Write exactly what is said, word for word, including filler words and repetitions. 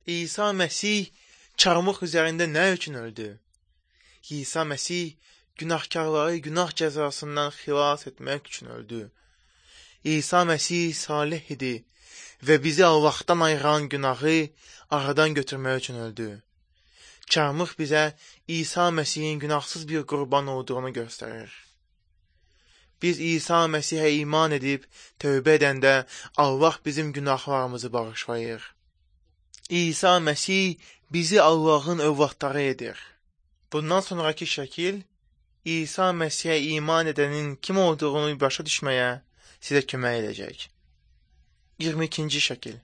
İsa Məsih çarmıx üzərində nə üçün öldü? İsa Məsih günahkarları günah cəzasından xilas etmək üçün öldü. İsa Məsih salih idi və bizi Allahdan ayıran günahı aradan götürmək üçün öldü. Çarmıx bizə İsa Məsihin günahsız bir qurban olduğunu göstərir. Biz İsa Məsihə iman edib tövbə edəndə Allah bizim günahlarımızı bağışlayır. İsa Məsih bizi Allahın övladları edir. Bundan sonraki şəkil İsa Məsihə iman edənin kim olduğunu başa düşməyə sizə kömək edəcək. iyirmi ikinci şəkil.